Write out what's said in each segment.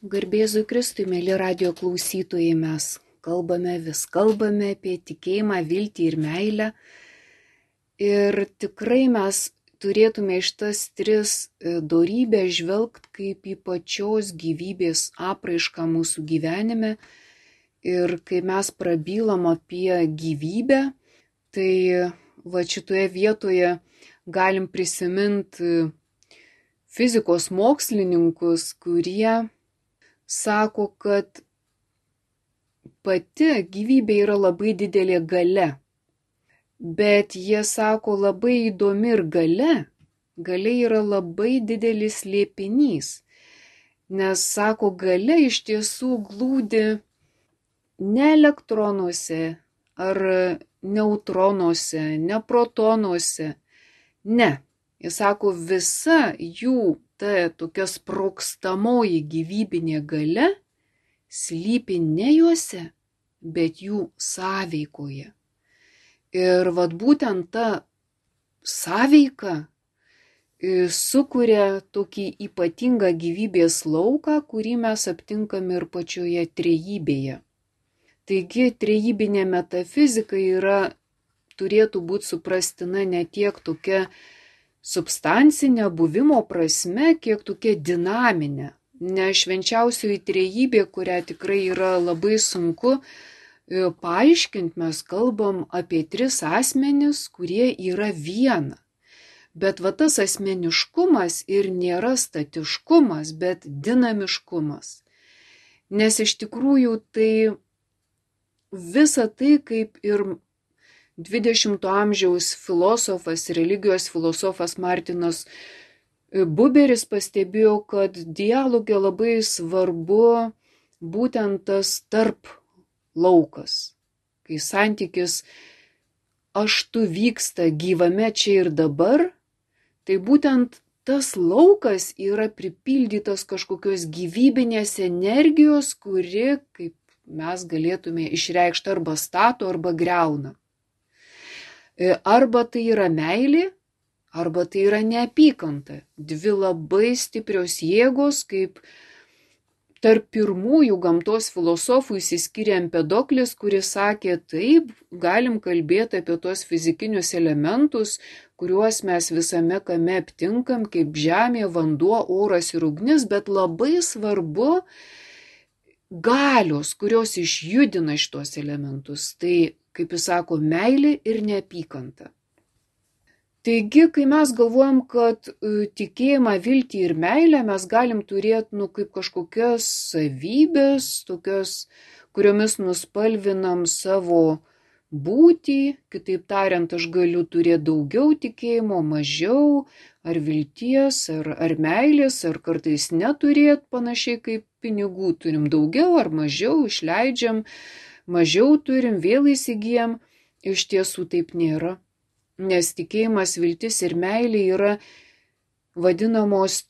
Garbėzui Kristui, mėly radijo klausytojai, mes kalbame apie tikėjimą, viltį ir meilę. Ir tikrai mes turėtume iš tas tris dorybės žvelgti kaip į pačios gyvybės apraišką mūsų gyvenime. Ir kai mes prabylam apie gyvybę, tai va šitoje vietoje galim prisiminti fizikos mokslininkus, kurie sako, kad pati gyvybė yra labai didelė galia. Bet jie sako, labai įdomi ir galia yra labai didelis slėpinys. Nes sako, galia iš tiesų glūdi ne elektronuose ar neutronuose, ne protonuose. Ne. Jis sako, visa jų ta tokia sprogstamoji gyvybinė galia slypi ne juose, bet jų sąveikoje. Ir vat būtent ta sąveika sukuria tokį ypatingą gyvybės lauką, kurį mes aptinkame ir pačioje trejybėje. Taigi trejybinė metafizika turėtų būti suprastina ne tiek tokia substancinė buvimo prasme, kiek tokia dinaminė. Ne švenčiausioji trejybė, kurią tikrai yra labai sunku paaiškinti, mes kalbam apie tris asmenis, kurie yra viena. Bet va tas asmeniškumas ir nėra statiškumas, bet dinamiškumas. Nes iš tikrųjų tai visa tai, kaip ir 20 amžiaus filosofas, religijos filosofas Martinas Buberis pastebėjo, kad dialoge labai svarbu būtent tas tarp laukas, kai santykis aš tu vyksta gyvame čia ir dabar, tai būtent tas laukas yra pripildytas kažkokios gyvybinės energijos, kuri, kaip mes galėtume išreikšti, arba stato, arba greuna. Arba tai yra meilė, arba tai yra neapykanta. Dvi labai stiprios jėgos, kaip tarp pirmųjų gamtos filosofų išsiskyrė Empedoklis, kuris sakė, taip, galim kalbėti apie tos fizikinius elementus, kuriuos mes visame kame aptinkam, kaip žemė, vanduo, oras ir ugnis, bet labai svarbu galios, kurios išjudina šitos elementus. Tai, kaip jis sako, meilė ir neapykanta. Taigi, kai mes galvojam, kad tikėjimą, viltį ir meilę mes galim turėti kaip kažkokias savybės, tokias, kuriomis nuspalvinam savo būtį, kitaip tariant, aš galiu turėti daugiau tikėjimo, mažiau, ar vilties, ar meilės, ar kartais neturėti, panašiai kaip pinigų turim daugiau ar mažiau, išleidžiam, mažiau turim, vėl įsigijam. Iš tiesų taip nėra. Nes tikėjimas, viltis ir meilė yra vadinamos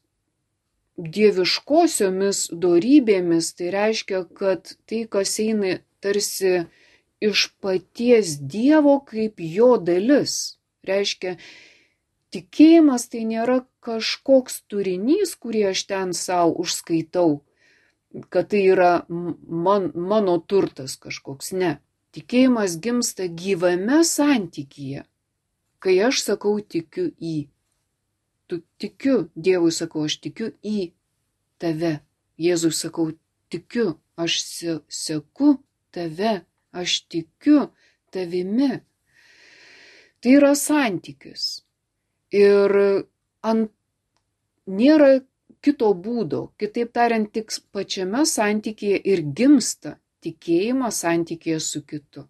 dieviškosiomis dorybėmis. Tai reiškia, kad tai, kas eina tarsi iš paties Dievo kaip jo dalis. Reiškia, tikėjimas tai nėra kažkoks turinys, kurį aš ten savo užskaitau, kad tai yra mano turtas kažkoks. Ne. Tikėjimas gimsta gyvame santykyje. Kai aš sakau tikiu į, tu tikiu, Dievui sakau, aš tikiu į tave. Jėzui sakau, tikiu, aš seku tave, aš tikiu tavimi. Tai yra santykis. Ir nėra kito būdo. Kitaip tariant, tik pačiame santykyje ir gimsta tikėjimas santykyje su kitu.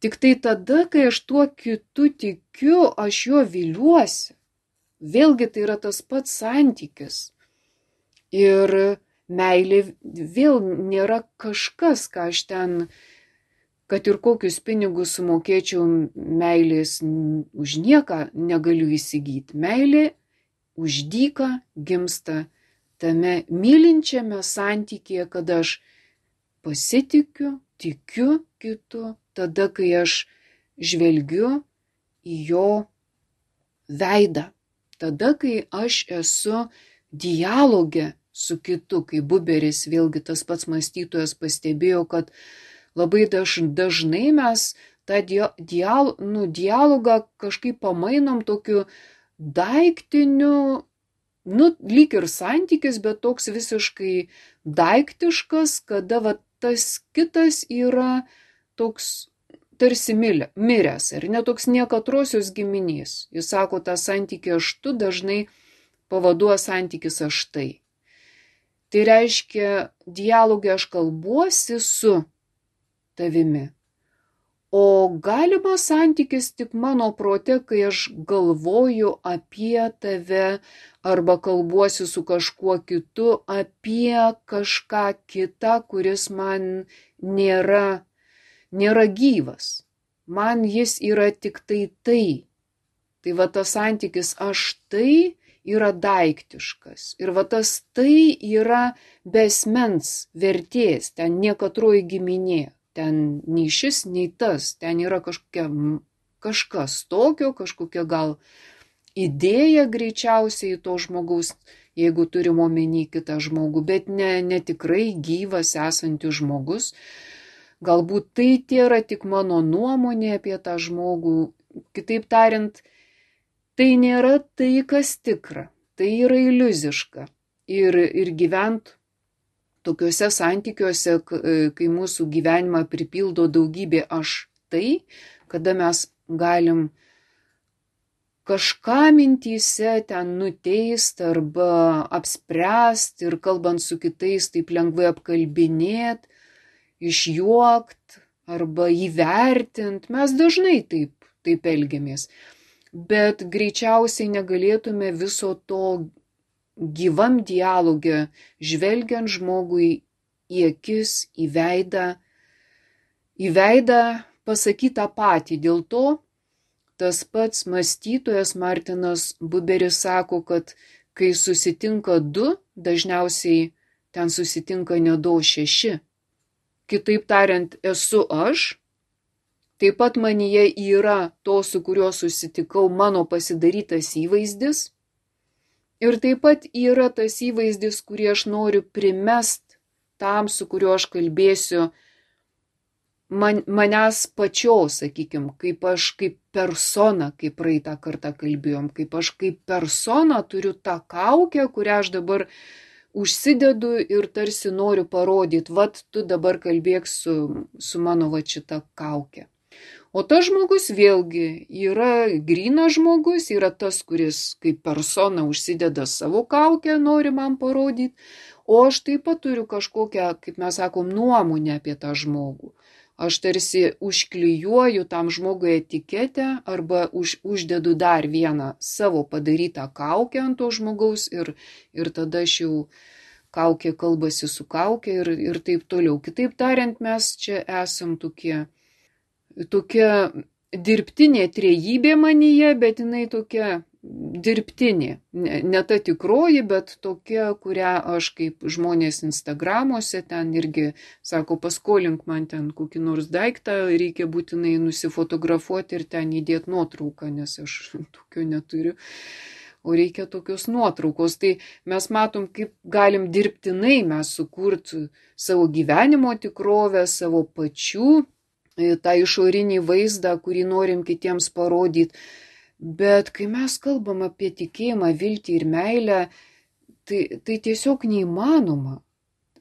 Tik tai tada, kai aš tuo kitu tikiu, aš jo viliuosi. Vėlgi tai yra tas pats santykis. Ir meilė vėl nėra kažkas, ką aš ten, kad ir kokius pinigus sumokėčiau, meilės už nieką negaliu įsigyti. Meilė už dyką gimsta tame mylinčiame santykyje, kad aš pasitikiu, tikiu kitu, tada, kai aš žvelgiu į jo veidą, tada, kai aš esu dialoge su kitu, kai Buberis, vėlgi tas pats mąstytojas, pastebėjo, kad labai dažnai mes tą dialogą kažkaip pamainom tokiu daiktiniu, lyg ir santykis, bet toks visiškai daiktiškas, kada tas kitas yra toks tarsi miręs, ar ne toks niekatrosios giminės. Jis sako, tą santykį aš tu dažnai pavaduoja santykis aš tai. Tai reiškia, dialogė aš kalbuosi su tavimi. O galimas santykis tik mano prote, kai aš galvoju apie tave arba kalbuosi su kažkuo kitu apie kažką kitą, kuris man nėra gyvas. Man jis yra tik tai. Tai va tas santykis aš tai yra daiktiškas. Ir va tas tai yra besmens vertės, ten niekatroji giminė. Ten nei šis, nei tas, ten yra kažkas tokio, kažkokia gal idėja greičiausiai to žmogaus, jeigu turim omeny kitą žmogų, bet ne tikrai gyvas esantis žmogus. Galbūt tai yra tik mano nuomonė apie tą žmogų. Kitaip tariant, tai nėra tai, kas tikra, tai yra iliuziška. Ir gyvent tokiuose santykiuose, kai mūsų gyvenimą pripildo daugybė aš tai, kada mes galim kažką mintyse ten nuteist arba apspręst ir kalbant su kitais taip lengvai apkalbinėt, išjuokt arba įvertint. Mes dažnai taip elgiamės. Bet greičiausiai negalėtume viso to gyvam dialogė, žvelgiant žmogui į akis, į veidą pasakytą patį. Dėl to tas pats mąstytojas Martinas Buberis sako, kad kai susitinka du, dažniausiai ten susitinka ne 2, 6. Kitaip tariant, esu aš, taip pat manyje yra to, su kuriuo susitikau, mano pasidarytas įvaizdis. Ir taip pat yra tas įvaizdis, kurį aš noriu primest tam, su kuriuo aš kalbėsiu, manęs pačios, sakykime, kaip aš kaip persona, kaip praeitą kartą kalbėjom, kaip aš kaip persona turiu tą kaukę, kurią aš dabar užsidedu ir tarsi noriu parodyti, vat tu dabar kalbėk su mano va šita kaukė. O tas žmogus vėlgi yra grynas žmogus, yra tas, kuris kaip persona užsideda savo kaukę, nori man parodyti, o aš taip pat turiu kažkokią, kaip mes sakom, nuomonę apie tą žmogų. Aš tarsi užklijuoju tam žmogui etiketę arba uždedu dar vieną savo padarytą kaukę ant to žmogaus ir tada aš jau kaukė kalbasi su kaukė ir taip toliau. Kitaip tariant, mes čia esam tokia dirbtinė trejybė manyje, bet jinai tokia dirbtinė. Ne ta tikroji, bet tokia, kurią aš kaip žmonės Instagramuose ten irgi sako, paskolink man ten kokį nors daiktą, reikia būtinai nusifotografuoti ir ten įdėti nuotrauką, nes aš tokio neturiu. O reikia tokios nuotraukos. Tai mes matom, kaip galim dirbtinai mes sukurti savo gyvenimo tikrovę, savo pačių, tą išorinį vaizdą, kurį norim kitiems parodyti. Bet kai mes kalbam apie tikėjimą, viltį ir meilę, tai tiesiog neįmanoma.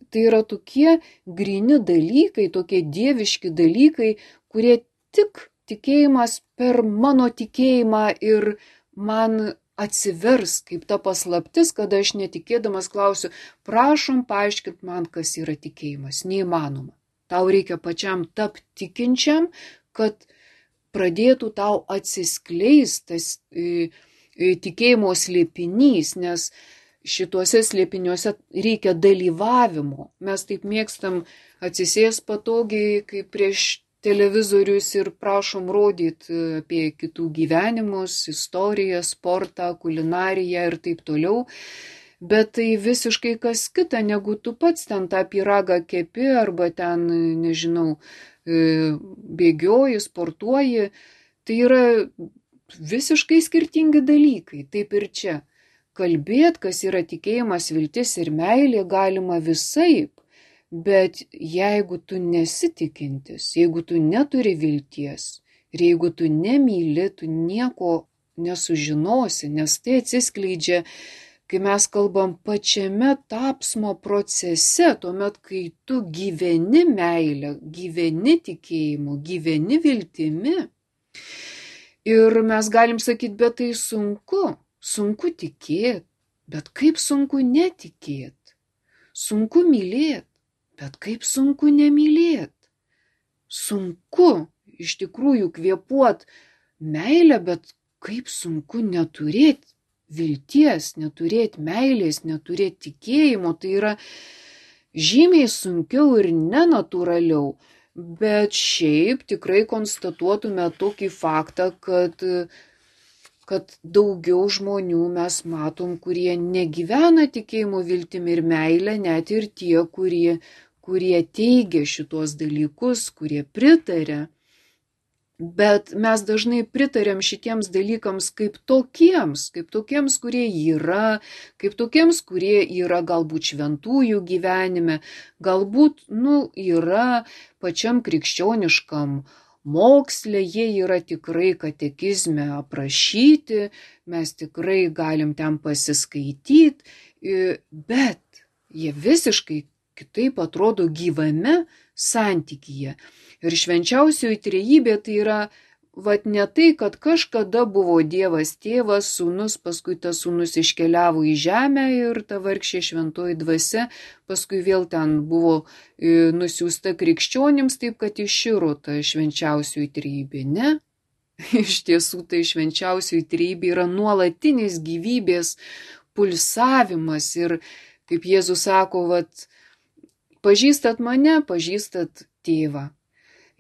Tai yra tokie gryni dalykai, tokie dieviški dalykai, kurie tik tikėjimas per mano tikėjimą ir man atsivers kaip ta paslaptis, kada aš netikėdamas klausiu, prašom paaiškint man, kas yra tikėjimas. Neįmanoma. Tau reikia pačiam tapti tikinčiam, kad pradėtų tau atsiskleistas tikėjimo slėpinys, nes šituose slėpiniuose reikia dalyvavimo. Mes taip mėgstam atsisės patogiai, kaip prieš televizorius ir prašom rodyti apie kitų gyvenimus, istoriją, sportą, kulinariją ir taip toliau. Bet tai visiškai kas kita, negu tu pats ten tą pyragą kepi arba ten, nežinau, bėgioji, sportuoji. Tai yra visiškai skirtingi dalykai, taip ir čia. kalbėti, kas yra tikėjimas, viltis ir meilė galima visaip, bet jeigu tu nesitikintis, jeigu tu neturi vilties ir jeigu tu nemyli, tu nieko nesužinosi, nes tai atsiskleidžia, kai mes kalbam pačiame tapsmo procese, tuomet, kai tu gyveni meilę, gyveni tikėjimu, gyveni viltimi. Ir mes galim sakyti, bet tai sunku tikėti, bet kaip sunku netikėti, sunku mylėti, bet kaip sunku nemylėti, sunku iš tikrųjų kvėpuot meilę, bet kaip sunku neturėti vilties, neturėti meilės, neturėti tikėjimo, tai yra žymiai sunkiau ir nenatūraliau, bet šiaip tikrai konstatuotume tokį faktą, kad daugiau žmonių mes matom, kurie negyvena tikėjimo viltimi ir meilę, net ir tie, kurie teigia šitos dalykus, kurie pritarė. Bet mes dažnai pritarėm šitiems dalykams kaip tokiems, kurie yra, kaip tokiems, kurie yra galbūt šventųjų gyvenime, galbūt, yra pačiam krikščioniškam moksle, jie yra tikrai katekizme aprašyti, mes tikrai galim ten pasiskaityti, bet jie visiškai kitaip atrodo gyvame santykyje. Ir švenčiausioji trejybė tai yra ne tai, kad kažkada buvo Dievas tėvas, sūnus, paskui tas sūnus iškeliavo į žemę ir ta vargšė šventoji dvasia, paskui vėl ten buvo nusiųsta krikščionims, taip kad iširo ta švenčiausioji trejybė. Ne? Iš tiesų tai švenčiausioji trejybė yra nuolatinis gyvybės pulsavimas ir, kaip Jėzus sako, pažįstat mane, pažįstat tėvą.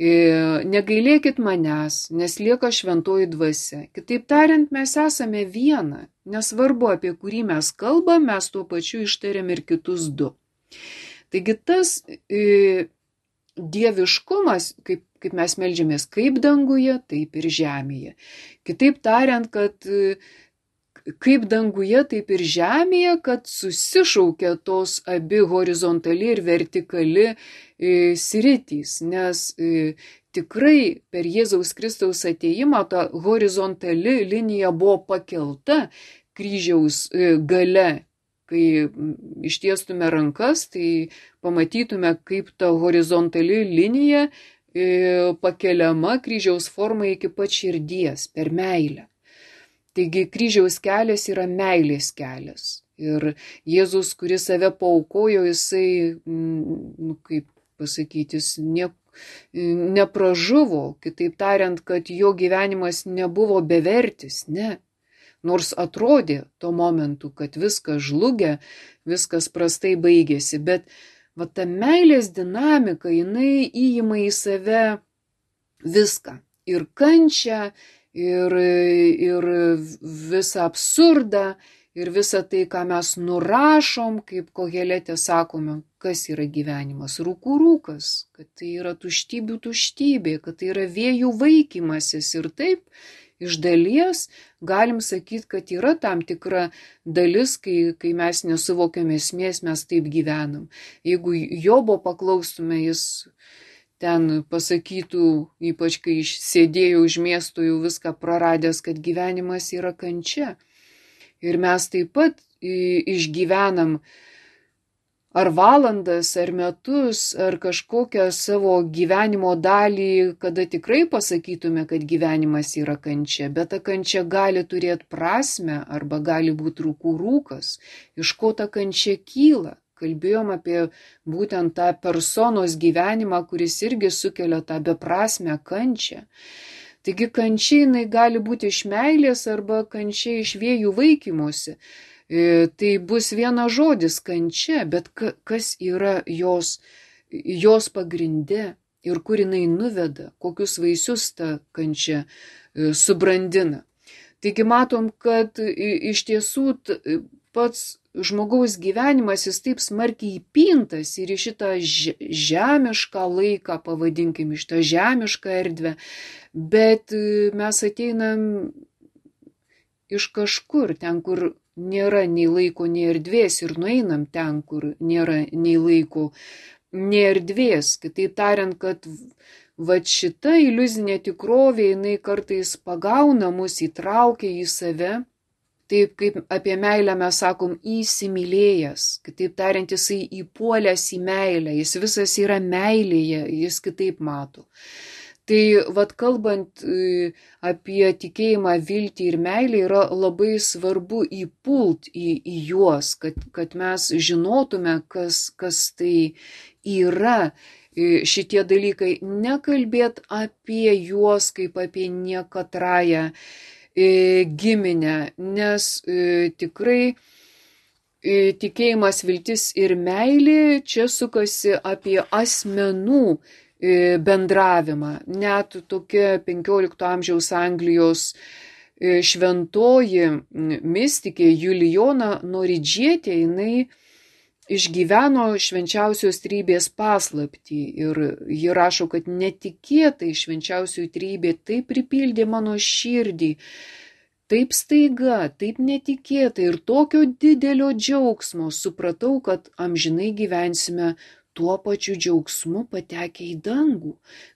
Negailėkit manęs, nes lieka šventoji dvasia. Kitaip tariant, mes esame viena. Nesvarbu, apie kurį mes kalbam, mes tuo pačiu ištariam ir kitus du. Taigi tas dieviškumas, kaip mes meldžiamės, kaip danguje, taip ir žemėje. Kitaip tariant, kad kaip danguje, taip ir žemėje, kad susišaukia tos abi horizontali ir vertikali sritys, nes tikrai per Jėzaus Kristaus atėjimą ta horizontali linija buvo pakelta kryžiaus gale. Kai ištiestume rankas, tai pamatytume, kaip ta horizontali linija pakeliama kryžiaus forma iki pat širdies per meilę. Taigi kryžiaus kelias yra meilės kelias. Ir Jėzus, kuris save paaukojo, jisai, kaip pasakyti, jis nepražuvo. Kitaip tariant, kad jo gyvenimas nebuvo bevertis, ne. Nors atrodė tuo momentu, kad viskas žlugia, viskas prastai baigėsi. Bet ta meilės dinamika, jinai įima į save viską. Ir kančią, ir visą absurdą, ir visą tai, ką mes nurašom, kaip Koheletė sakome, kas yra gyvenimas, rūkų rūkas, kad tai yra tuštybių tuštybė, kad tai yra vėjų vaikymasis. Ir taip, iš dalies, galim sakyti, kad yra tam tikra dalis, kai mes nesuvokiam esmės, mes taip gyvenam. Jeigu Jobo paklaustume, jis ten pasakytų, ypač kai sėdėjo už miesto jau viską praradęs, kad gyvenimas yra kančia. Ir mes taip pat išgyvenam ar valandas, ar metus, ar kažkokią savo gyvenimo dalį, kada tikrai pasakytume, kad gyvenimas yra kančia, bet ta kančia gali turėti prasmę arba gali būti rūkų rūkas, iš ko ta kančia kyla. Kalbėjom apie būtent tą personos gyvenimą, kuris irgi sukelia tą beprasmę kančią. Taigi kančia jinai gali būti iš meilės arba kančia iš vėjų vaikymosi. Tai bus vienas žodis kančia, bet kas yra jos pagrinde ir kur jinai nuveda, kokius vaisius ta kančia subrandina. Taigi matom, kad iš tiesų pats žmogaus gyvenimas jis taip smarkiai įpintas ir į šitą žemišką laiką, pavadinkim, iš tą žemišką erdvę, bet mes ateinam iš kažkur, ten, kur nėra nei laiko, nei erdvės ir nueinam ten, kur nėra nei laiko, nei erdvės. Kitaip tariant, kad vat šita iliuzinė tikrovė, jinai kartais pagauna mus, įtraukia į save. Taip kaip apie meilę mes sakom įsimylėjęs, kitaip tariant, jisai įpuolęs į meilę, jis visas yra meilėje, jis kitaip mato. Tai vat kalbant apie tikėjimą, viltį ir meilę, yra labai svarbu įpult į juos, kad mes žinotume, kas tai yra šitie dalykai, nekalbėt apie juos kaip apie niekatrąją giminę, nes tikrai tikėjimas, viltis ir meilė čia sukasi apie asmenų bendravimą. Net tokia 15 amžiaus Anglijos šventoji mistikė Julijona Noridžietė, jinai išgyveno švenčiausios trejybės paslaptį ir ji rašo, kad netikėtai švenčiausioji trejybė taip pripildė mano širdį, taip staiga, taip netikėtai ir tokio didelio džiaugsmo supratau, kad amžinai gyvensime tuo pačiu džiaugsmu patekę į dangų,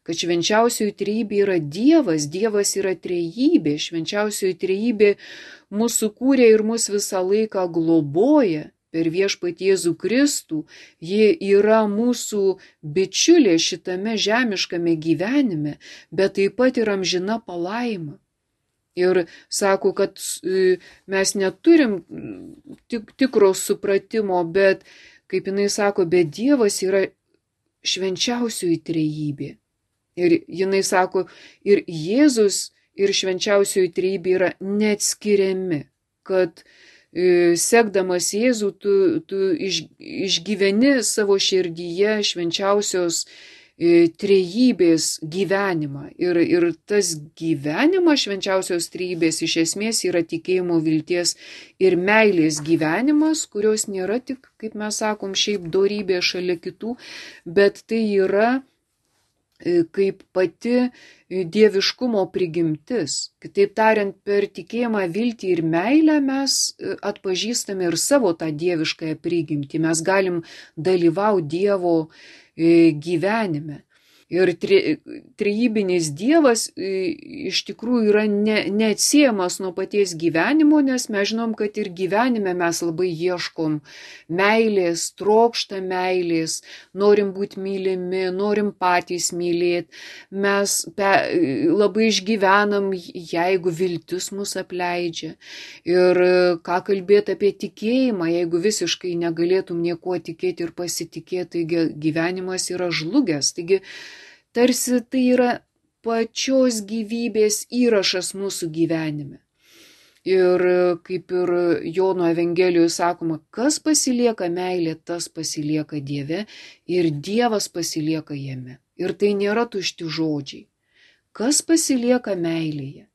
kad švenčiausioji trejybė yra Dievas, Dievas yra trejybė, švenčiausioji trejybė mūsų kūrė ir mus visą laiką globoja. Per viešpatį Jėzų Kristų, ji yra mūsų bičiulė šitame žemiškame gyvenime, bet taip pat ir amžina palaima. Ir sako, kad mes neturim tikro supratimo, bet, kaip jinai sako, bet Dievas yra švenčiausioji trejybė. Ir jinai sako, ir Jėzus, ir švenčiausioji trejybė yra neatskiriami, kad sekdamas Jėzų, tu išgyveni savo širdyje švenčiausios trejybės gyvenimą. Ir tas gyvenimas švenčiausios trejybės iš esmės yra tikėjimo, vilties ir meilės gyvenimas, kurios nėra tik, kaip mes sakom, šiaip dorybė šalia kitų, bet tai yra kaip pati dieviškumo prigimtis. Kitaip tariant, per tikėjimą, viltį ir meilę mes atpažįstame ir savo tą dieviškąją prigimtį. Mes galim dalyvauti Dievo gyvenime. Ir trejybinis Dievas iš tikrųjų yra neatsiejamas nuo paties gyvenimo, nes mes žinom, kad ir gyvenime mes labai ieškom meilės, trokšta meilės, norim būti mylimi, norim patys mylėti. Mes labai išgyvenam, jeigu viltis mus apleidžia. Ir ką kalbėti apie tikėjimą, jeigu visiškai negalėtum niekuo tikėti ir pasitikėti, taigi gyvenimas yra žlugęs. Taigi tarsi tai yra pačios gyvybės įrašas mūsų gyvenime. Ir kaip ir Jono Evangelijoje sakoma, kas pasilieka meilė, tas pasilieka Dieve ir Dievas pasilieka jame. Ir tai nėra tušti žodžiai. Kas pasilieka meilėje?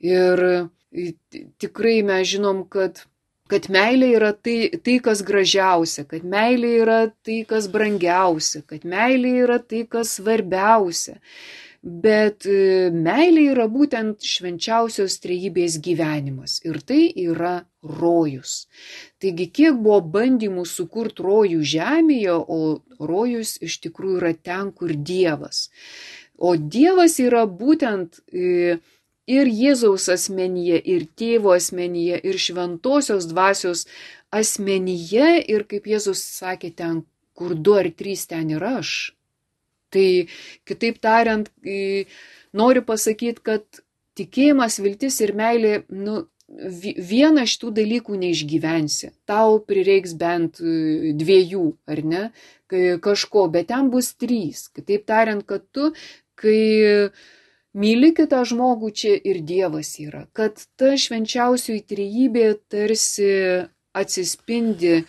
Ir tikrai mes žinom, kad meilė yra tai, kas gražiausia, kad meilė yra tai, kas brangiausia, kad meilė yra tai, kas svarbiausia. Bet meilė yra būtent švenčiausios trejybės gyvenimas ir tai yra rojus. Taigi, kiek buvo bandymų sukurti rojų žemėje, o rojus iš tikrųjų yra ten, kur Dievas. O Dievas yra būtent ir Jėzaus asmenyje, ir Tėvo asmenyje, ir šventosios dvasios asmenyje, ir kaip Jėzus sakė, ten, kur 2 ar 3, ten ir aš. Tai kitaip tariant, noriu pasakyti, kad tikėjimas, viltis ir meilė, vieną šitų dalykų neišgyvensi. Tau prireiks bent 2, ar ne, kažko, bet ten bus 3. Kitaip tariant, kad tu, kai myli kitą žmogų, čia ir Dievas yra. Kad ta švenčiausioji trejybė tarsi atsispindi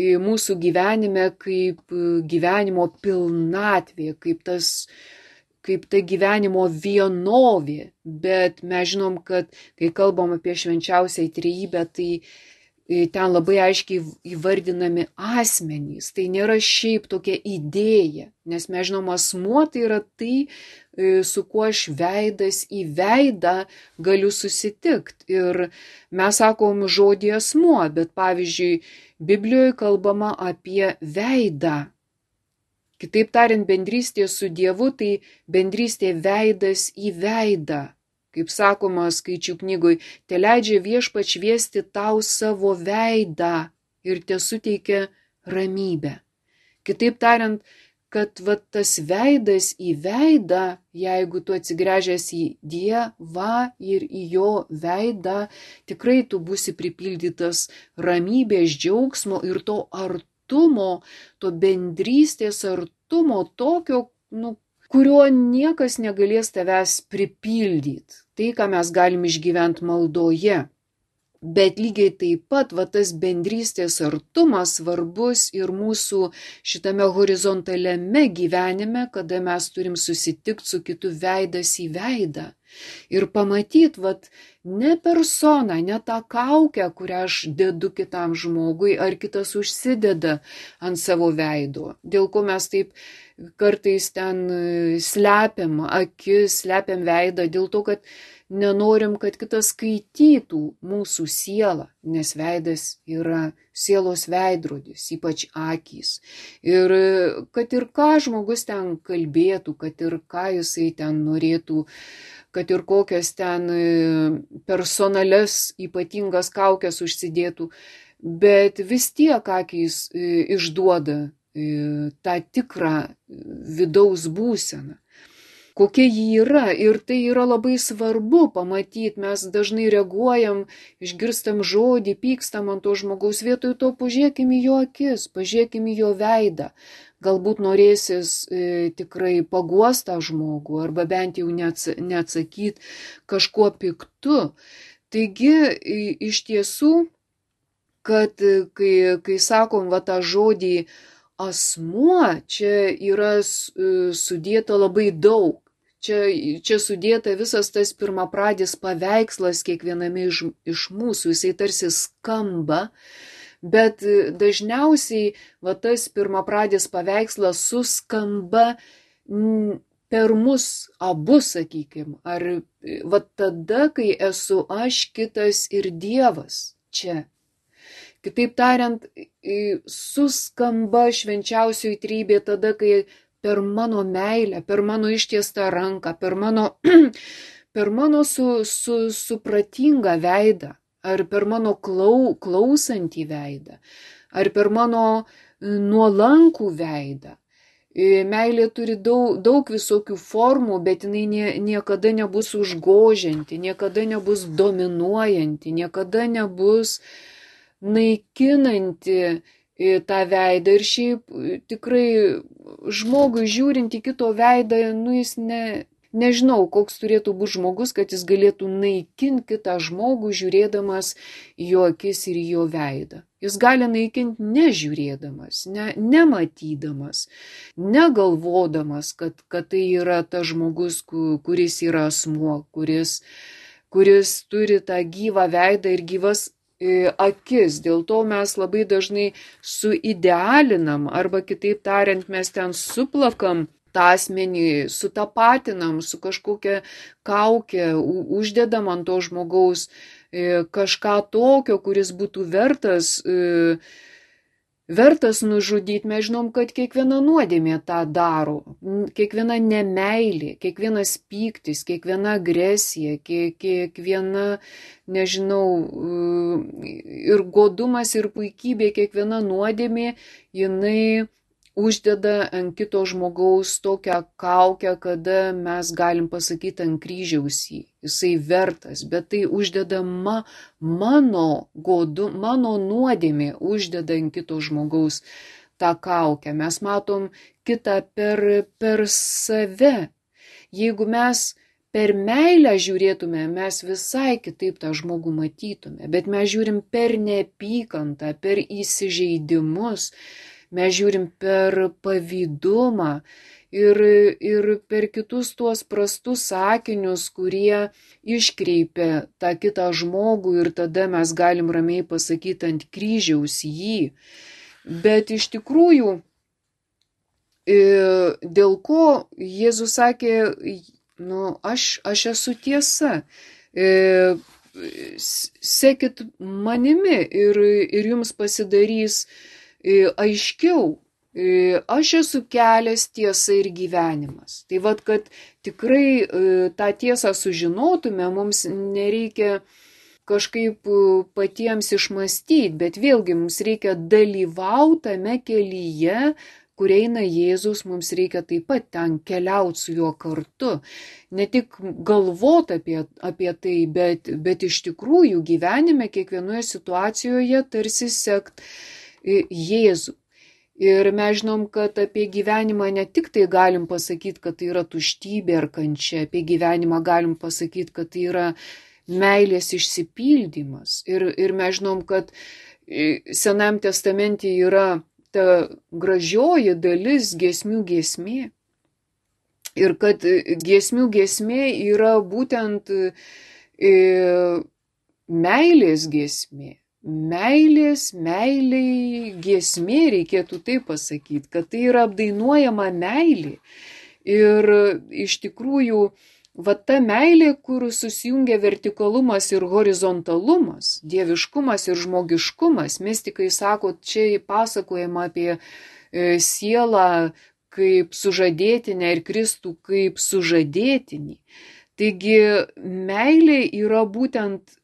mūsų gyvenime kaip gyvenimo pilnatvė, kaip ta gyvenimo vienovė. Bet mes žinom, kad kai kalbam apie švenčiausią trejybę, tai ten labai aiškiai įvardinami asmenys. Tai nėra šiaip tokia idėja, nes mes žinom, asmuo tai yra tai, su kuo aš veidas į veidą galiu susitikti. Ir mes sakom žodį asmuo, bet pavyzdžiui, Biblijoje kalbama apie veidą. Kitaip tariant, bendrystė su Dievu tai bendrystė veidas į veidą. Kaip sakoma Skaičių knygoj, te leidžia viešpats šviesti tau savo veidą ir te suteikia ramybę. Kitaip tariant, kad tas veidas į veidą, jeigu tu atsigręžęs į Dievą ir į jo veidą, tikrai tu būsi pripildytas ramybės, džiaugsmo ir to artumo, to bendrystės artumo, tokio, kurio niekas negalės tavęs pripildyti. Tai, ką mes galim išgyventi maldoje. Bet lygiai taip pat tas bendrystės artumas svarbus ir mūsų šitame horizontaliame gyvenime, kada mes turim susitikti su kitu veidas į veidą. Ir pamatyti, ne personą, ne tą kaukę, kurią aš dedu kitam žmogui, ar kitas užsideda ant savo veido. Dėl ko mes taip kartais ten slepiam akis, slepiam veidą, dėl to, kad nenorim, kad kitas skaitytų mūsų sielą, nes veidas yra sielos veidrodis, ypač akys. Ir kad ir ką žmogus ten kalbėtų, kad ir ką jisai ten norėtų, kad ir kokias ten personales ypatingas kaukės užsidėtų, bet vis tiek akys išduoda tą tikrą vidaus būseną, kokia ji yra. Ir tai yra labai svarbu pamatyti. Mes dažnai reaguojam, išgirstam žodį, pykstam ant to žmogaus, vietoj to pažiūrėkim į jo akis, pažiūrėkim į jo veidą. Galbūt norėsis tikrai paguostą žmogų arba bent jau neatsakyti kažkuo piktu. Taigi iš tiesų, kad kai sakom tą žodį asmuo, čia yra sudėta labai daug. Čia sudėta visas tas pirmapradis paveikslas kiekviename iš mūsų. Jisai tarsi skamba, bet dažniausiai tas pirmapradis paveikslas suskamba per mus abu, sakykim. Ar tada, kai esu aš, kitas ir Dievas čia. Kitaip tariant, suskamba švenčiausioji trybė tada, kai per mano meilę, per mano ištiestą ranką, per mano supratingą veidą, ar per mano klausantį veidą, ar per mano nuolankų veidą. Meilė turi daug visokių formų, bet jinai niekada nebus užgožianti, niekada nebus dominuojanti, niekada nebus naikinanti tą veidą. Ir šiaip tikrai žmogui žiūrint į kito veidą, jis nežinau, koks turėtų būti žmogus, kad jis galėtų naikinti kitą žmogų žiūrėdamas į jo akis ir į jo veidą. Jis gali naikinti nežiūrėdamas, nematydamas, negalvodamas, kad tai yra tas žmogus, kuris yra asmuo, kuris turi tą gyvą veidą ir gyvas akis. Dėl to mes labai dažnai suidealinam, arba kitaip tariant, mes ten suplakam tą asmenį, sutapatinam su kažkokia kaukė, uždedam ant to žmogaus kažką tokio, kuris būtų vertas nužudyti. Mes žinom, kad kiekviena nuodėmė tą daro, kiekviena nemeilė, kiekvienas pyktis, kiekviena agresija, kiekviena, nežinau, ir godumas, ir puikybė, kiekviena nuodėmė, jinai uždeda ant kito žmogaus tokią kaukę, kada mes galim pasakyti ant kryžiaus jisai vertas, bet tai uždeda mano nuodėmė, uždeda ant kito žmogaus tą kaukę. Mes matom kitą per save. Jeigu mes per meilę žiūrėtume, mes visai kitaip tą žmogų matytume, bet mes žiūrim per neapykantą, per įsižeidimus, mes žiūrim per pavydumą ir per kitus tuos prastus sakinius, kurie iškreipia tą kitą žmogų ir tada mes galim ramiai pasakyti ant kryžiaus jį. Bet iš tikrųjų, dėl ko Jėzus sakė, aš esu tiesa, sekit manimi ir jums pasidarys aiškiau. Aš esu kelias, tiesa ir gyvenimas. Tai vat, kad tikrai tą tiesą sužinotume, mums nereikia kažkaip patiems išmastyti, bet vėlgi mums reikia dalyvauti tame kelyje, kur eina Jėzus, mums reikia taip pat ten keliauti su juo kartu. Ne tik galvoti apie tai, bet iš tikrųjų gyvenime kiekvienoje situacijoje tarsi sekt Jėzų. Ir mes žinom, kad apie gyvenimą ne tik tai galim pasakyti, kad tai yra tuštybė ar kančia, apie gyvenimą galim pasakyti, kad tai yra meilės išsipildymas. Ir mes žinom, kad Senajam testamente yra ta gražioji dalis giesmių giesmė. Ir kad giesmių giesmė yra būtent meilės giesmė. Meiliai giesmė, reikėtų taip pasakyti, kad tai yra apdainuojama meilė. Ir iš tikrųjų, va ta meilė, kur susijungia vertikalumas ir horizontalumas, dieviškumas ir žmogiškumas, mistikai sako, čia pasakojama apie sielą kaip sužadėtinę ir Kristų kaip sužadėtinį. Taigi meilė yra būtent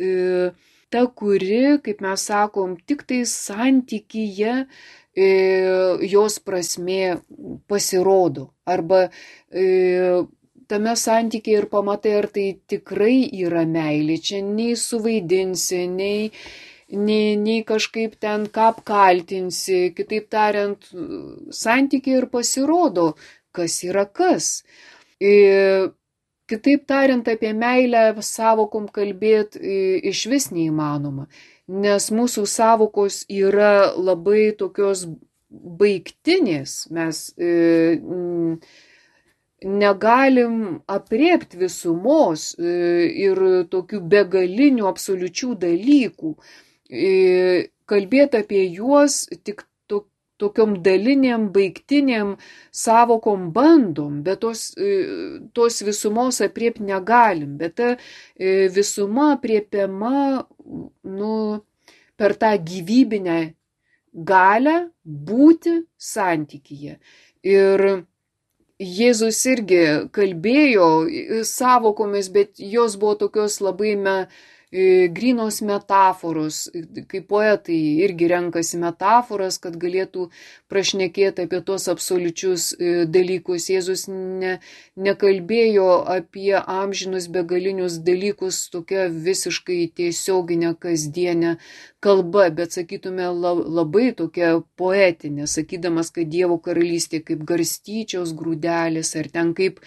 ta, kuri, kaip mes sakom, tik tai santykyje jos prasmė pasirodo. Arba tame santykyje ir pamatai, ar tai tikrai yra meilė. Čia nei suvaidinsi, nei kažkaip ten ką apkaltinsi. Kitaip tariant, santykyje ir pasirodo, kas yra kas. Kitaip tariant, apie meilę savokom kalbėti iš vis neįmanoma, nes mūsų savokos yra labai tokios baigtinės, mes negalim aprėpti visumos ir tokių begalinių absoliučių dalykų. Kalbėti apie juos tik tokiom daliniam, baigtiniam savokom bandom, bet tos visumos aprėpti negalim. Bet ta visuma aprėpiama per tą gyvybinę galią būti santykyje. Ir Jėzus irgi kalbėjo savokomis, bet jos buvo tokios labai grynos metaforos, kaip poetai irgi renkasi metaforas, kad galėtų prašnekėti apie tos absoliučius dalykus. Jėzus nekalbėjo apie amžinus begalinius dalykus tokia visiškai tiesioginė kasdienė kalba, bet sakytume labai tokia poetinė, sakydamas, kad Dievo karalystė kaip garstyčios grūdelis, ar ten kaip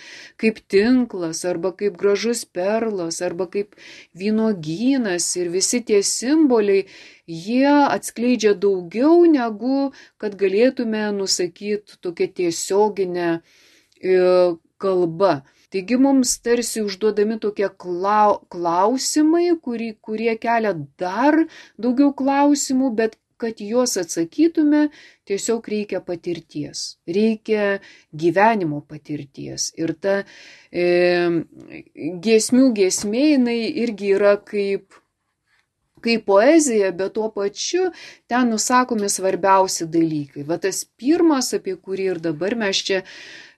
tinklas, arba kaip gražus perlas, arba kaip vynuogynas, ir visi tie simboliai, jie atskleidžia daugiau negu kad galėtume nusakyti tokia tiesioginė kalba. Taigi mums tarsi užduodami tokie klausimai, kurie kelia dar daugiau klausimų, bet kad juos atsakytume, tiesiog reikia patirties, reikia gyvenimo patirties. Ir ta giesmių giesmė, jinai irgi yra kaip poezija, bet tuo pačiu ten nusakomi svarbiausi dalykai. Va tas pirmas, apie kurį ir dabar mes čia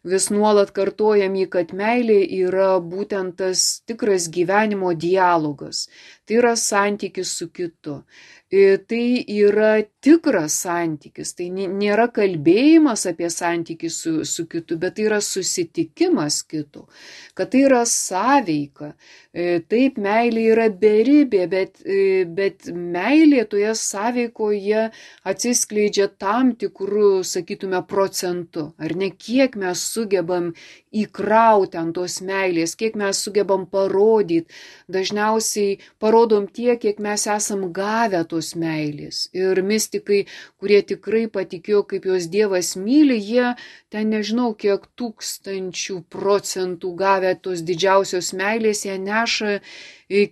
vis nuolat kartojam jį, kad meilė yra būtent tas tikras gyvenimo dialogas. Tai yra santykis su kitu. Tai yra tikras santykis. Tai nėra kalbėjimas apie santykį su kitu, bet tai yra susitikimas kitu. Kad tai yra sąveika. Taip, meilė yra beribė, bet meilė toje sąveikoje atsiskleidžia tam tikrų, sakytume, procentų. Ar ne, kiek mes sugebam įkrauti ant tos meilės, kiek mes sugebam parodyti. Dažniausiai parodom tiek, kiek mes esam gavę tos meilės. Ir mistikai, kurie tikrai patikėjo, kaip juos Dievas myli, jie ten nežinau, kiek 1000% gavę tos didžiausios meilės, jie neša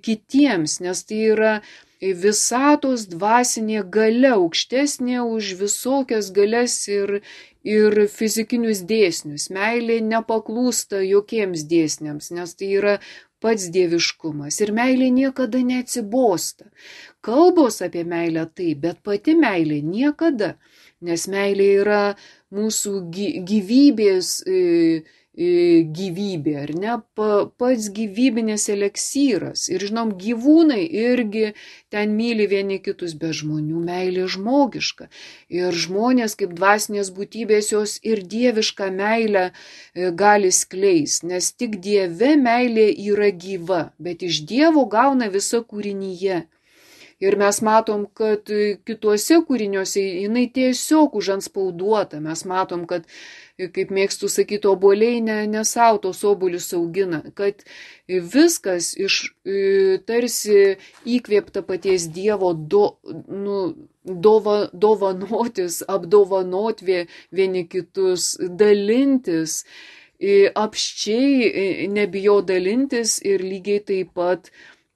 kitiems, nes tai yra visatos dvasinė galia, aukštesnė už visokias galias ir fizikinius dėsnius. Meilė nepaklūsta jokiems dėsniams, nes tai yra pats dieviškumas. Ir meilė niekada neatsibosta. Kalbos apie meilę taip, bet pati meilė niekada, nes meilė yra mūsų gyvybės gyvybė, ar ne, pats gyvybinis eleksyras. Ir žinom, gyvūnai irgi ten myli vieni kitus, bet žmonių meilė žmogiška. Ir žmonės kaip dvasinės būtybės jos ir dievišką meilę gali skleis, nes tik Dieve meilė yra gyva, bet iš Dievo gauna visa kūrinyje. Ir mes matom, kad kituose kūriniuose jinai tiesiog užantspauduota. Mes matom, kad, kaip mėgstu sakyti, obuoliai ne savo tos obuolius augina, kad viskas tarsi įkvėpta paties Dievo dovanotis, apdovanoti vieni kitus, dalintis, apsčiai nebijo dalintis ir lygiai taip pat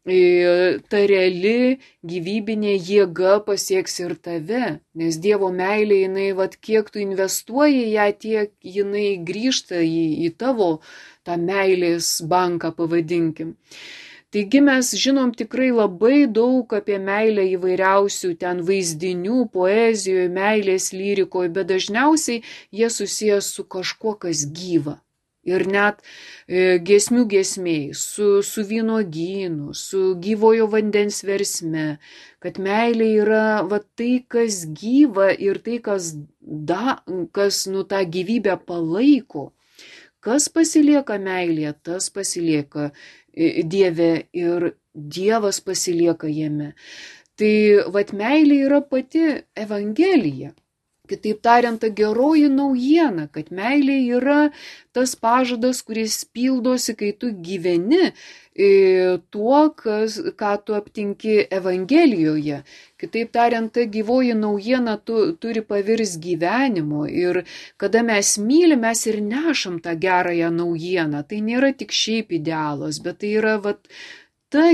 ta reali gyvybinė jėga pasieks ir tave, nes Dievo meilė, jinai, kiek tu investuoji ją, tiek jinai grįžta į tavo tą meilės banką, pavadinkim. Taigi mes žinom tikrai labai daug apie meilę įvairiausių ten vaizdinių, poezijoje, meilės lyrikoje, bet dažniausiai jie susijęs su kažkuo, kas gyva. Ir net giesmių giesmėj, su vynuogynu, su gyvojo vandens versme, kad meilė yra tai, kas gyva ir tai, kas tą gyvybę palaiko. Kas pasilieka meilėje, tas pasilieka Dieve ir Dievas pasilieka jame. Tai meilė yra pati Evangelija. Kitaip tariant, ta geroji naujiena, kad meilė yra tas pažadas, kuris pildosi, kai tu gyveni tuo, ką tu aptinki Evangelijoje. Kitaip tariant, ta gyvoji naujiena turi pavirs gyvenimo ir kada mes mylim, mes ir nešam tą gerąją naujieną. Tai nėra tik šiaip idealas, bet tai yra ta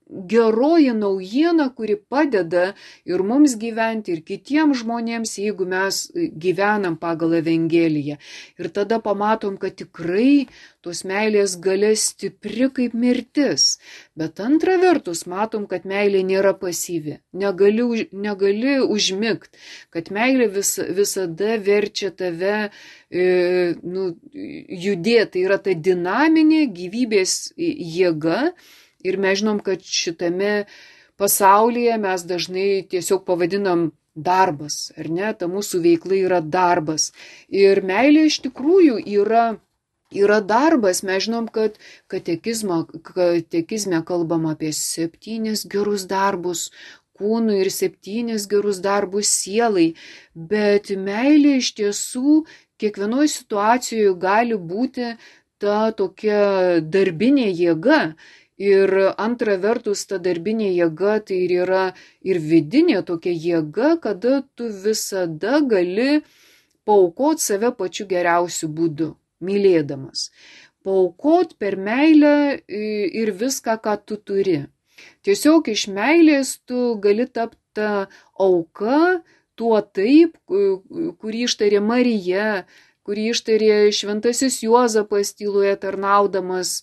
geroji naujiena, kuri padeda ir mums gyventi, ir kitiems žmonėms, jeigu mes gyvenam pagal Evangeliją. Ir tada pamatom, kad tikrai tos meilės galia stipri kaip mirtis. Bet antra vertus matom, kad meilė nėra pasyvi. Negali užmigt, kad meilė visada verčia tave judėti. Tai yra ta dinaminė gyvybės jėga. Ir mes žinom, kad šitame pasaulyje mes dažnai tiesiog pavadinam darbas, ar ne? Ta mūsų veikla yra darbas. Ir meilė iš tikrųjų yra darbas. Mes žinom, kad katekizme kalbam apie 7 gerus darbus kūnui ir 7 gerus darbus sielai. Bet meilė iš tiesų kiekvienoje situacijoje gali būti ta tokia darbinė jėga. Ir antra vertus, ta darbinė jėga tai yra ir vidinė tokia jėga, kada tu visada gali paaukoti save pačiu geriausiu būdu, mylėdamas. Paaukoti per meilę ir viską, ką tu turi. Tiesiog iš meilės tu gali tapti auka tuo taip, kurį ištarė Marija, kurį ištarė šventasis Juozapas tyloje tarnaudamas,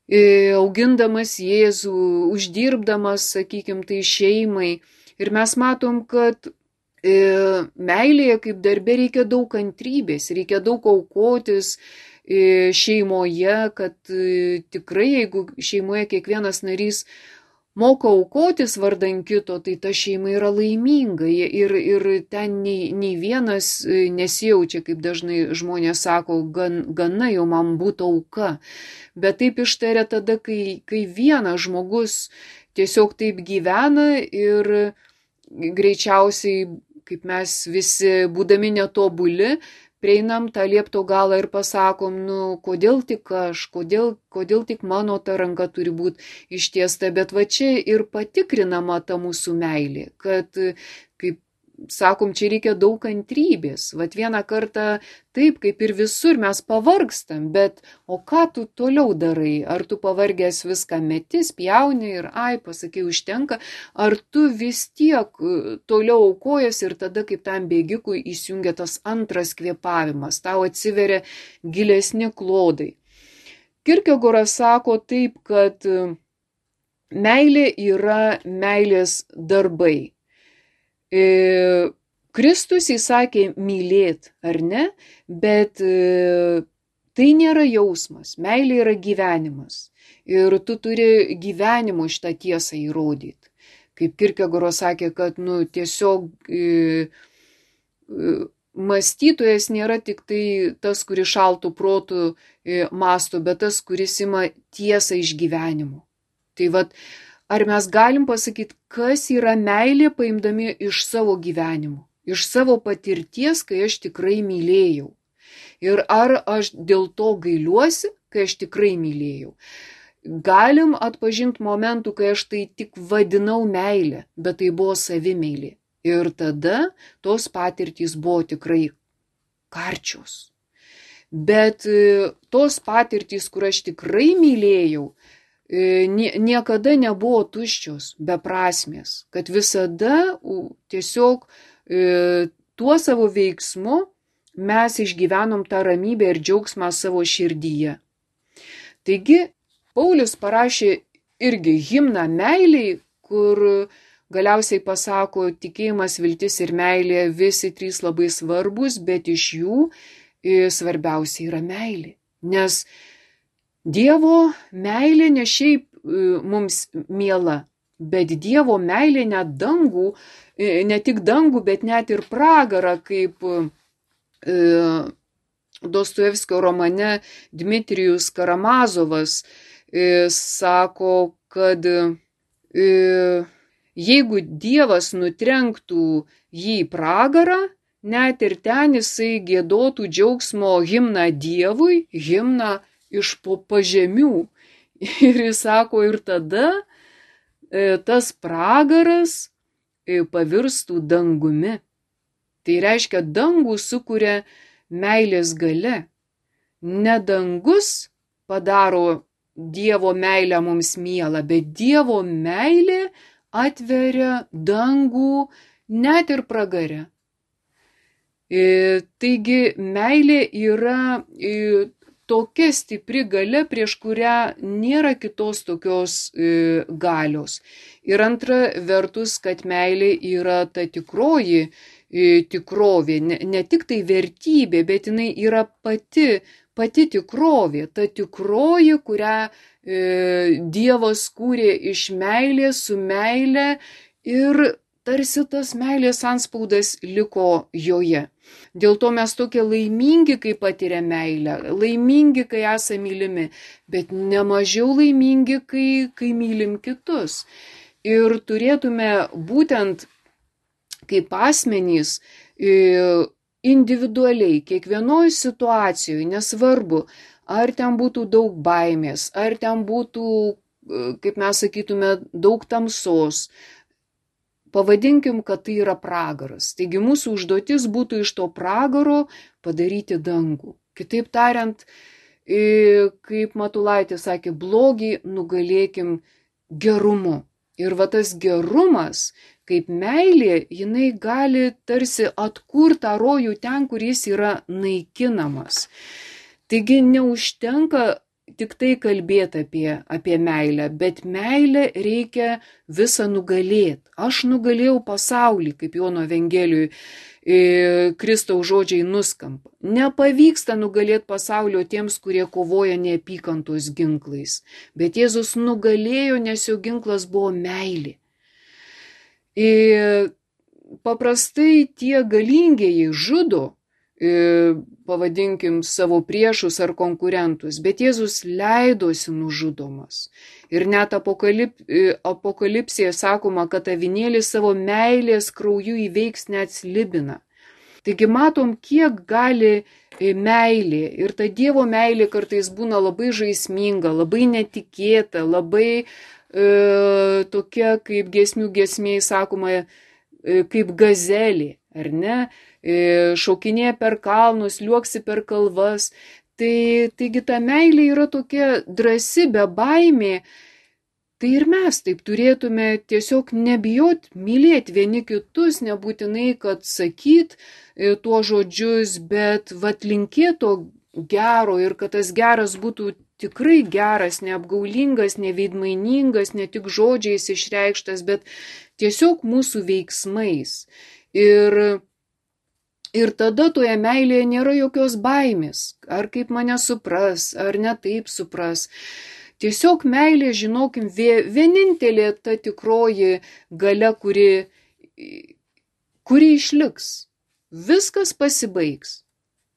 augindamas Jėzų, uždirbdamas, sakykim, tai šeimai. Ir mes matom, kad meilėje kaip darbe reikia daug kantrybės, reikia daug aukotis šeimoje, kad tikrai jeigu šeimoje kiekvienas narys moka aukotis vardan kito, tai ta šeima yra laiminga ir ten nei vienas nesijaučia, kaip dažnai žmonės sako, gana jau man būtų auka. Bet taip ištaria tada, kai vienas žmogus tiesiog taip gyvena ir greičiausiai, kaip mes visi būdami netobuli, prieinam tą liepto galą ir pasakom, kodėl tik aš, kodėl tik mano ta ranka turi būti ištiesta, bet va čia ir patikrinama ta mūsų meilė, kad, kaip sakom, čia reikia daug kantrybės. Vat vieną kartą taip, kaip ir visur, mes pavargstam, bet o ką tu toliau darai? Ar tu pavargęs viską meti, spjauni ir pasakai, užtenka, ar tu vis tiek toliau aukojas ir tada, kaip tam bėgikui, įsijungia tas antras kvėpavimas, tau atsiveria gilesni klodai. Kierkegoras sako taip, kad meilė yra meilės darbai. Kristus įsakė mylėt, ar ne, bet tai nėra jausmas, meilė yra gyvenimas ir tu turi gyvenimo šitą tiesą įrodyti. Kaip Kierkegoras sakė, kad tiesiog mąstytojas nėra tik tai tas, kuris šaltų protų mąsto, bet tas, kuris ima tiesą iš gyvenimo. Tai vat, ar mes galim pasakyti, kas yra meilė paimdami iš savo gyvenimo, iš savo patirties, kai aš tikrai mylėjau. Ir ar aš dėl to gailiuosi, kai aš tikrai mylėjau. Galim atpažinti momentų, kai aš tai tik vadinau meilę, bet tai buvo savimeilė. Ir tada tos patirtys buvo tikrai karčios. Bet tos patirtys, kur aš tikrai mylėjau, niekada nebuvo tuščios, beprasmės, kad visada tiesiog tuo savo veiksmu mes išgyvenom tą ramybę ir džiaugsmą savo širdyje. Taigi, Paulius parašė irgi himną meiliai, kur galiausiai pasako, tikėjimas, viltis ir meilė, visi trys labai svarbus, bet iš jų svarbiausia yra meilė. Nes Dievo meilė ne šiaip mums miela, bet Dievo meilė net dangų, ne tik dangų, bet net ir pragarą, kaip Dostojevskio romane Dmitrijus Karamazovas sako, kad jeigu Dievas nutrenktų jį į pragarą, net ir ten jisai giedotų džiaugsmo himną Dievui, himną iš po pažemių. Ir jis sako, ir tada tas pragaras pavirstų dangumi. Tai reiškia, dangų sukuria meilės galia. Ne dangus padaro Dievo meilę mums mielą, bet Dievo meilė atveria dangų net ir pragare. Taigi meilė yra tokia stipri galia, prieš kurią nėra kitos tokios galios. Ir antra vertus, kad meilė yra ta tikroji tikrovė, ne tik tai vertybė, bet jinai yra pati tikrovė, ta tikroji, kurią Dievas kūrė iš meilės, su meile ir tarsi tas meilės antspaudas liko joje. Dėl to mes tokie laimingi, kai patiria meilę, laimingi, kai esame mylimi, bet nemažiau laimingi, kai mylim kitus. Ir turėtume būtent kaip asmenys individualiai, kiekvienoje situacijoje, nesvarbu, ar ten būtų daug baimės, ar ten būtų, kaip mes sakytume, daug tamsos, pavadinkim, kad tai yra pragaras. Taigi mūsų užduotis būtų iš to pragaro padaryti dangų. Kitaip tariant, kaip Matulaitis sakė, blogį nugalėkim gerumu. Ir va tas gerumas, kaip meilė, jinai gali tarsi atkurti tą rojų ten, kur jis yra naikinamas. Taigi neužtenka tik tai kalbėti apie meilę, bet meilę reikia visą nugalėti. Aš nugalėjau pasaulį, kaip Jono Evangelijoje Kristaus žodžiai nuskamba. Nepavyksta nugalėti pasaulio tiems, kurie kovoja neapykantos ginklais. Bet Jėzus nugalėjo, nes jo ginklas buvo meilė. Paprastai tie galingieji žudo, pavadinkim, savo priešus ar konkurentus, bet Jėzus leidosi nužudomas. Ir net apokalipsėje sakoma, kad avinėlis savo meilės krauju įveiks net slibiną. Taigi matom, kiek gali meilė ir ta Dievo meilė kartais būna labai žaisminga, labai netikėta, labai tokia, kaip giesmių giesmėje sakoma, kaip gazelė, ar ne, šokinėja per kalnus, liuoksi per kalvas. Taigi ta meilė yra tokia drąsi, be baimė. Tai ir mes taip turėtume tiesiog nebijot mylėti vieni kitus, nebūtinai, kad sakyt tuo žodžius, bet linkėt to gero ir kad tas geras būtų tikrai geras, neapgaulingas, neveidmainingas, ne tik žodžiais išreikštas, bet tiesiog mūsų veiksmais. Ir tada toje meilėje nėra jokios baimės, ar kaip mane supras, ar ne taip supras. Tiesiog meilė, žinokim, vienintelė ta tikroji galia, kuri išliks. Viskas pasibaigs,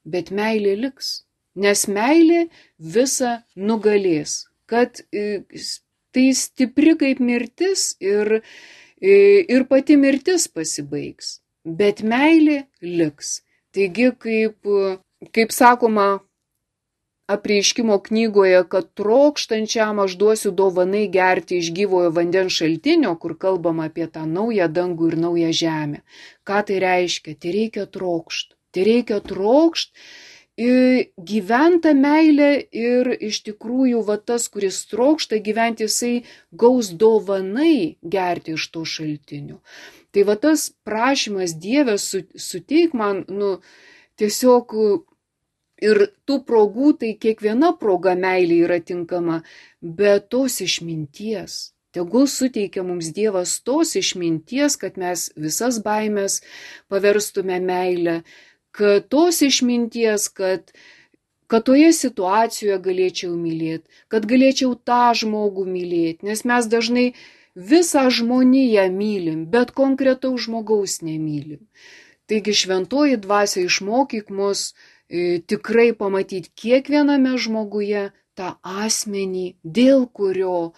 bet meilė liks, nes meilė visą nugalės. Kad tai stipri kaip mirtis ir pati mirtis pasibaigs, bet meilė liks. Taigi, kaip sakoma, Apreiškimo knygoje, kad trokštančiam aš duosiu dovanai gerti iš gyvojo vandens šaltinio, kur kalbama apie tą naują dangų ir naują žemę. Ką tai reiškia? Tai reikia trokšt. Tai reikia trokšt, gyventa meilė ir iš tikrųjų tas, kuris trokšta gyventi, jisai gaus dovanai gerti iš to šaltinio. Tai tas prašymas Dieve suteik man, tiesiog ir tų progų, tai kiekviena proga meilė yra tinkama, bet tos išminties. Tegul suteikia mums Dievas tos išminties, kad mes visas baimės paverstume meilę, kad tos išminties, kad toje situacijoje galėčiau mylėti, kad galėčiau tą žmogų mylėti, nes mes dažnai visą žmoniją mylim, bet konkretaus žmogaus nemylim. Taigi šventoji dvasia išmokyk mus tikrai pamatyti kiekviename žmoguje tą asmenį, dėl kurio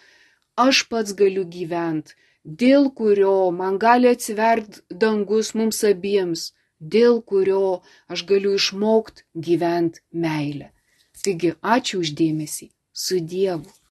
aš pats galiu gyventi, dėl kurio man gali atsiverti dangus mums abiems, dėl kurio aš galiu išmokti gyventi meilę. Taigi, ačiū už dėmesį. Su Dievu.